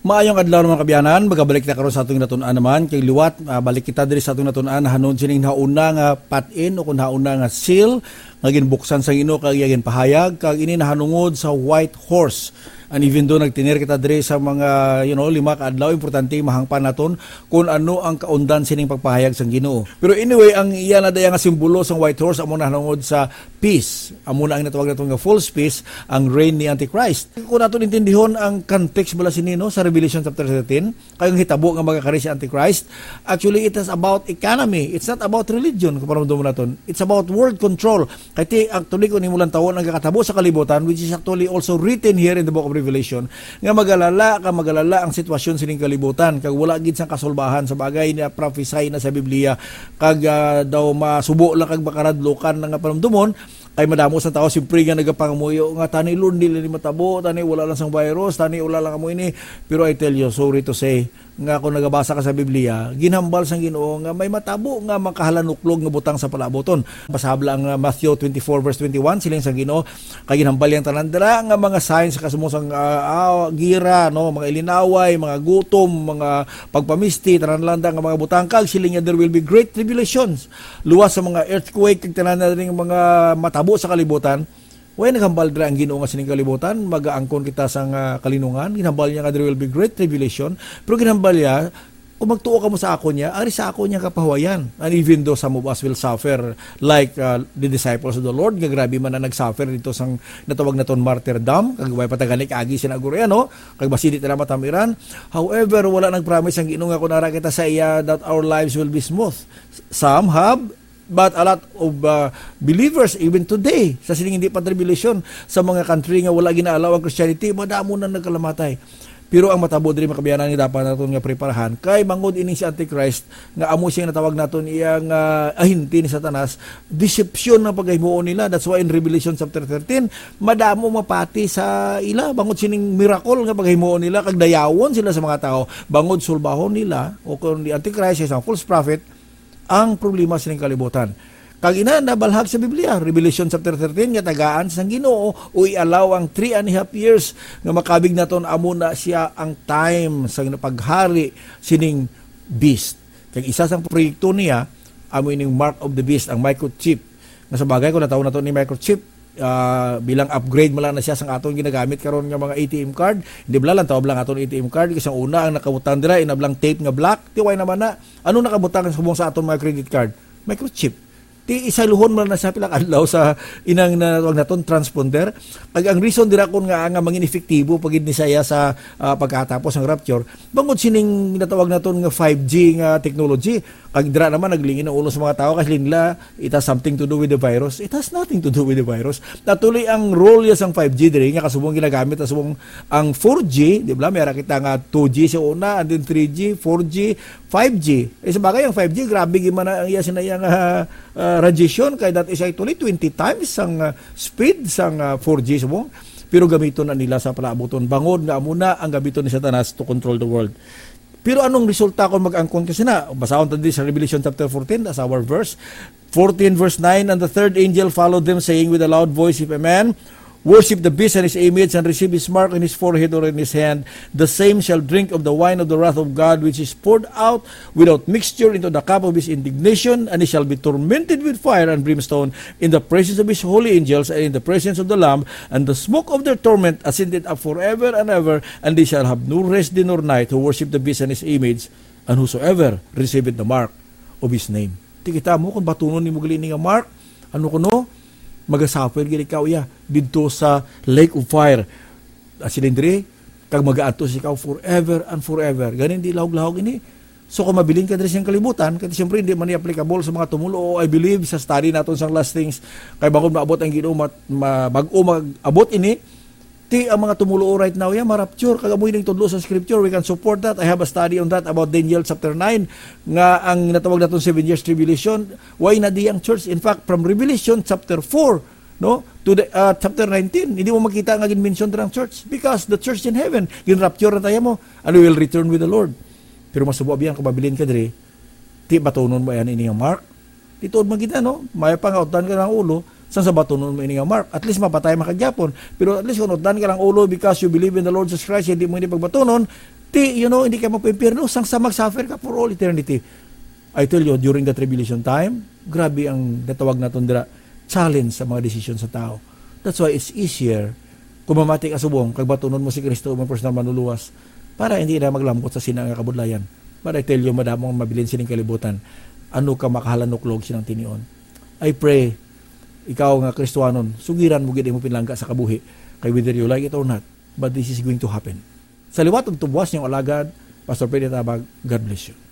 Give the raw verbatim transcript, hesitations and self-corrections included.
Maayong adlaw, mga kabyanan. Magabalik kita karon sa atong natun-an naman. Kay liwat, ah, balik kita diri sa atong natun-an nahanungod sining nauna nga patin o kung nauna nga seal nga ginbuksan sa Ginoo kag iya ginpahayag, kag ini nahanungod sa white horse. And even though nagtener kita diri sa mga, you know, lima ka adlaw, importante mahangpan naton kung ano ang kaundan sining pagpahayag sang Ginoo. Pero anyway, ang iya na daya nga simbolo sang white horse amo nahanungod sa peace. Amo na ang natawag naton nga false peace, ang reign ni Antichrist. Kung naton intindihon ang context bala sini, no, sa Revelation chapter thirteen, kay ang hitabo nga magakari si Antichrist, actually, it is about economy. It's not about religion, kung paramdom naton. It's about world control. Kay ti, actually, kung imo lang tawon ang kakatabo sa kalibutan, which is actually also written here in the book of Revelation, nga magalala ka, magalala ang sitwasyon sining kalibutan, kag wala gid sang kasulbahan sa bagay na prophesy na sa Biblia, kag, ah, daw masubo lang kag makaradlukan na nga panumdumon, kay madamo sa tao simpre nga nagapangamuyo nga, "Tani, Lord, dili ni matabo, tani wala lang sang virus, tani wala lang amo ini." Pero I tell you, sorry to say, nga kung nagabasa ka sa Biblia, ginhambal sang Ginoo nga may matabo nga makahalanuklog nga butang sa palaabuton. Basahab lang ang, ah, Matthew twenty-four verse twenty-one, siling sang Ginoo, kay ginhambal yang tanan dira nga mga signs sa kasumong sang, ah, ah, gira, no, mga ilinaway, mga gutom, mga pagpamisti, tanan lang nga mga butang, kag siling niya, "There will be great tribulations." Luwas sa mga earthquake kag tanan na ring mga matabo sa kalibutan, way naghambal dira ang Ginoo nga sining kalibutan, magaangkon kita sang, ah, kalinungan. Ginhambal niya nga there will be great tribulation, pero ginhambal niya, kung magtuo kamo sa akon niya, ari sa akon niya kapahuwayan. And even though some of us will suffer like, ah, the disciples of the Lord, nga grabe man ang nagsuffer dito sang natawag naton martyrdom, kag way patagani kaagi sina Agoriano, kag masidi tala matamiran. However, wala nagpromise ang Ginoo nga kung ara kita sa iya, that our lives will be smooth. Some have, but a lot of, uh, believers, even today, sa sining hindi pa tribulation, sa mga country nga wala ginaalaw ang Christianity, madamo na nagkalamatay. Pero ang matabo diri, mga kabyanan, nga dapat naton nga preparahan, kay bangod ining si Antichrist, nga amo siyang natawag naton iyang, ah, ahente ni Satanas, deception ang paghimuon nila. That's why in Revelation chapter thirteen, madamo mapati sa ila bangod sining miracle nga paghimuon nila, kag dayawon sila sa mga tao, bangod sulbahon nila, o kung di Antichrist, isang false prophet, ang problema sining kalibutan. Kag ina nabalhag sa Biblia, Revelation chapter thirteen, nga tagaan sang Ginoo o i-allow ang three and a half years nga makabig naton, amo na siya ang time sa paghari sining beast. Kag isa sang proyekto niya, amo ining mark of the beast, ang microchip. Nga sa bagay, kung natawag nato ni microchip, ah, bilang upgrade man lang na siya sang aton ginagamit karon nga mga A T M card. Hindi bala lang tawag lang aton A T M card, kasi ang una ang nakabutang dira, inablang tape nga black, tiway naman na. Ano nakabutang sa subong sa aton mga credit card? Microchip. Ti isayluhon man na siya pila ka adlaw sa inang na, tawag naton, transponder. Kag ang reason dira kon nga, nga mangin epektibo pa gid ni saya sa, ah, pagkatapos ng rapture, bangod sining natawag naton nga five G nga technology. Kag dira naman naglingin ang ulo sa mga tao kasi nila, it has something to do with the virus. It has nothing to do with the virus. Actually, ang role niya sang five G diri nga kasubong ginagamit, kasubong ang four G, di ba? May ara kita nga two G sa una, and then three G, four G, five G. Eh, sa bagay, ang five G, grabe gid man ang iya, sina iya nga, ah, radiation, kay that is actually twenty times ang, ah, speed sang, ah, four G subong. Pero gamiton na nila sa palaabuton. Bangod nga amo na ang gamiton ni Satanas to control the world. Pero anong resulta kung mag-angkon ka sina? Basahon ta di sa Revelation chapter fourteen, that's our verse. Fourteen verse nine, "And the third angel followed them, saying with a loud voice, 'If a man worship the beast and his image, and receive his mark in his forehead or in his hand, the same shall drink of the wine of the wrath of God, which is poured out without mixture into the cup of his indignation, and he shall be tormented with fire and brimstone in the presence of his holy angels and in the presence of the Lamb, and the smoke of their torment ascended up forever and ever, and they shall have no rest day nor night who worship the beast and his image, and whosoever receiveth the mark of his name.'" Ti kita mo kung batunon nimo gali ni nga mark, ano kuno, magasuffer gid ikaw iya didto sa lake of fire. At silindri, kag magaantos ikaw forever and forever. Ganin di lahog-lahog ini. So, kung mabilin ka diri sa kalibutan, kay siyempre, hindi man ni applicable sa mga tumulo, I believe, sa study naton sang last things, kay bangod maabot ang Ginoo, mat-, ma-, bag-o mag-abot ini, ti ang mga tumulo right now, ya, ma-rapture. Kag amo ining tudlo sa scripture, we can support that. I have a study on that about Daniel chapter nine, nga ang natawag naton seven years tribulation, why na di ang church? In fact, from Revelation chapter four, no, to the, uh, chapter nineteen, hindi mo makita nga gin-mention dira ang church because the church in heaven, gin-rapture na tayo mo, and we will return with the Lord. Pero masubo biyan kung mabilin ka diri, ti batunon mo yan ini nga mark? Ti tuod man kita, no? May pa nga utdan ka ng ulo, sang sa batunon mo ini nga mark. At least mapatay man ka gyapon. Pero at least kung utdan ka ng ulo because you believe in the Lord Jesus Christ, hindi mo ini pagbatunon, Ti, you know, hindi ka magpaimpyerno sang sa mag-suffer ka for all eternity. I tell you, during the tribulation time, grabe ang natawag naton dira, challenge sa mga desisyon sa tao. That's why it's easier kung mamati ka subong kag batunon mo si Kristo mo personal manluluwas para hindi na maglambot sa sina nga kabudlayan. But I tell you, madamo ang mabilin sining kalibutan. Ano ka makahalanuklo og sinang tinion? I pray, ikaw nga Kristiyanon, sugiran mo gid imo pinalangga sa kabuhi, kay whether you like it or not, but this is going to happen. Sa liwat ug tubuas niyong alagad, Pastor Freddy Tabag, God bless you.